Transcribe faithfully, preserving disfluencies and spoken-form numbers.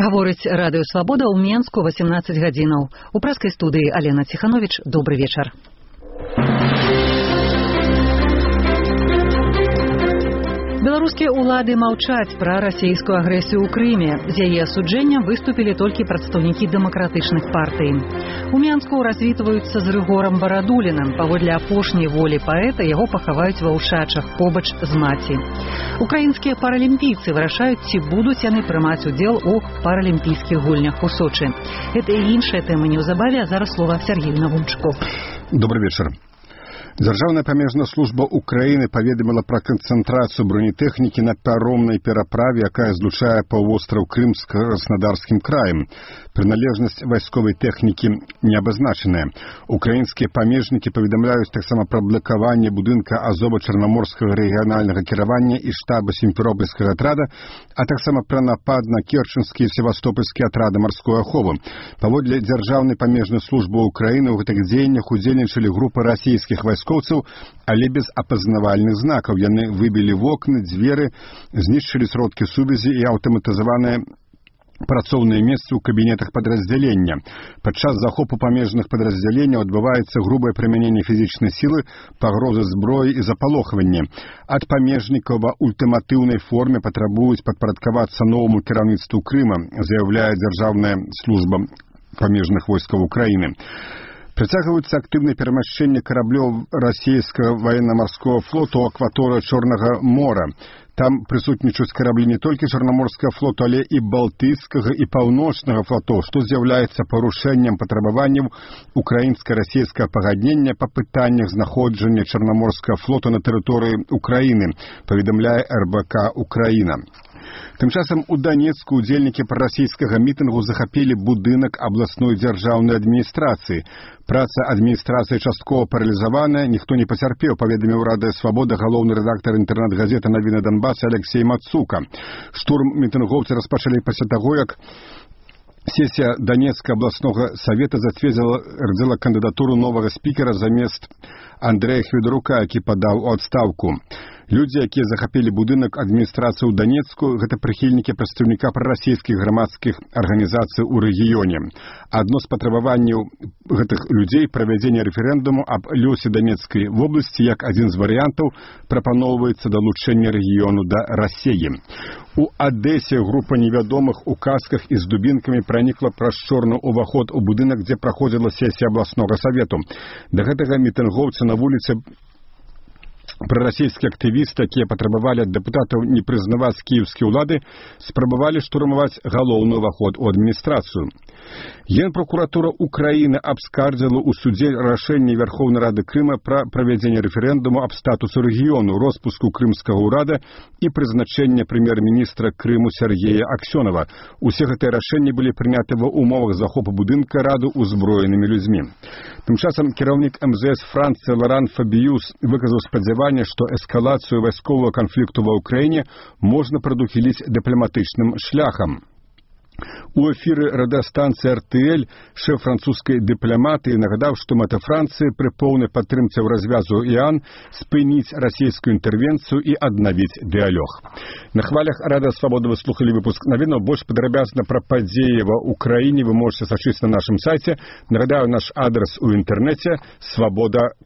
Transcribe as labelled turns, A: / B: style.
A: Гаворыць радыё Свабода ў Менску восемнадцать гадзінаў. У праскай студыі Алена Ціхановіч. Добры вечар. Беларускія ўлады маўчаць пра расійскую агрэсію ў Крыме. З яе асуджэннем выступілі толькі прадстаўнікі дэмакратычных партый. У Менску развітваюцца з Рыгорам Барадулінам. Паводле апошняй волі паэта яго пахаваюць ва ўшачах побач з маці. Украінскія паралімпійцы вырашаюць, ці будуць яны прымаць удзел у паралімпійскіх гульнях у Сочы. Гэта і іншая тэма неўзабаве, а зараз слова Сергею Навунчку.
B: Добрый вечер. Дзяржаўная памежная служба Украіны паведаміла пра канцэнтрацыю бронетэхнікі на паромнай пераправе, якая злучае паўвостраў Крым з Краснодарскім краем. Прыналежнасць вайсковай тэхнікі не абазначаная. Украінскія памежнікі паведамляюць таксама пра блакаванне будынка Азова-Чарнаморскага рэгіянальнага кіравання і штаба сімферопольскага атрада, а таксама пра напад на керченскія і севастопольскія атрады марской аховы. Паводле дзяржаўнай памежнай службы Украіны ў гэтых дзеяннях удзельнічалі групы расійскіх вайскоўцаў, але без апазнавальных знакаў. Яны выбілі вокны, дзверы, знішчылі сродкі сувязі і аўтаматызаваныя працоўныя месцы ў кабінетах падраздзялення. Падчас захопу памежных падраздзяленняў адбываецца грубае прымяненне фізічнай сілы, пагрозы зброі і запалохванне. Ад памежнікаў ва ультыматыўнай форме патрабуюць падпарадкавацца новаму кіраўніцтву Крыма, заяўляе дзяржаўная служба памежных войскаў Украіны. Працягваюцца актыўнае перамяшчэнне караблёў расійскага ваенна-марскога флоту ў акваторыі Чорнага мора. Там прысутнічаюць караблі не толькі Чарнаморскага флоту, але і Балтыйскага і Паўночнага флотоў, што з'яўляецца парушэннем патрабаванняў украінска-расійскага пагаднення па пытаннях знаходжання Чарнаморскага флоту на тэрыторыі Украіны, паведамляе эр бэ ка «Украіна». Тым часам у Данецку удзельнікі прарасійскага мітынгу захапілі будынак абласной дзяржаўнай адміністрацыі. Праца адміністрацыі часткова паралізаваная, ніхто не пацярпеў, паведаміў радыё Свабода галоўны рэдактар інтэрнэт-газеты «Навіны Донбаса» Алексей Мацука. Штурм мітынгоўцы распачалі пасля таго, як сесія Данецкага абласнога савета зацвердзіла кандыдатуру новага спікера замест Андрэя Хведарука, які падаў у адстаўку. Людзі, якія захапілі будынак адміністрацыі ў Данецку, гэта прыхільнікі прадстаўніка прарасійскіх грамадскіх арганізацый у рэгіёне. Адно з патрабаванняў гэтых людзей правядзення рэферэндуму аб лёсе Данецкай вобласці як адзін з варыянтаў прапаноўваецца далучэнне рэгіёну да Расіі. У Адэсе група невядомых у касках і з дубінкамі пранікла праз чорны ўваход у будынак, дзе праходзіла сесія абласнога савету. Да гэтага мітынгоўцы на вуліцы прарасійскія актывісты, якія патрабавалі ад дэпутатаў не прызнаваць кіеўскія ўлады, спрабавалі штурмаваць галоўны ўваход у адміністрацыю. Генпракуратура Украіны абскардзіла ў судзе рашэнне Верховнай Рады Крыма пра правядзенне рэферэндуму аб статусу рэгіёну, роспуску крымскага ўрада і прызначэнне прэм'ер-міністра Крыму Сергея Аксёнова. Усе гэтыя рашэнні былі прыняты ва ўмовах захопу будынка Рады ўзброенымі людзьмі. Тым часам кіраўнік эм зэ эс Францыі Лоран Фабіюс выказаў спадзяванне, што эскалацыю вайсковага канфлікту ва ўкраіне можна прадухіліць дыпламатычным шляхам. У эфіры радыёстанцыі эр тэ эль шэф французскай дыпламатыі нагадаў, што мэта Францыі пры поўнай падтрымцы ў развязу Іан спыніць расійскую інтэрвенцыю і аднавіць дыялог. На хвалях радыё Свабода вы слухалі выпуск навінаў. Больш падрабязна пра падзеі ва ўкраіне вы можаце сачыць на нашым сайце. Нагадаю, наш адрас у інтэрнэце свабода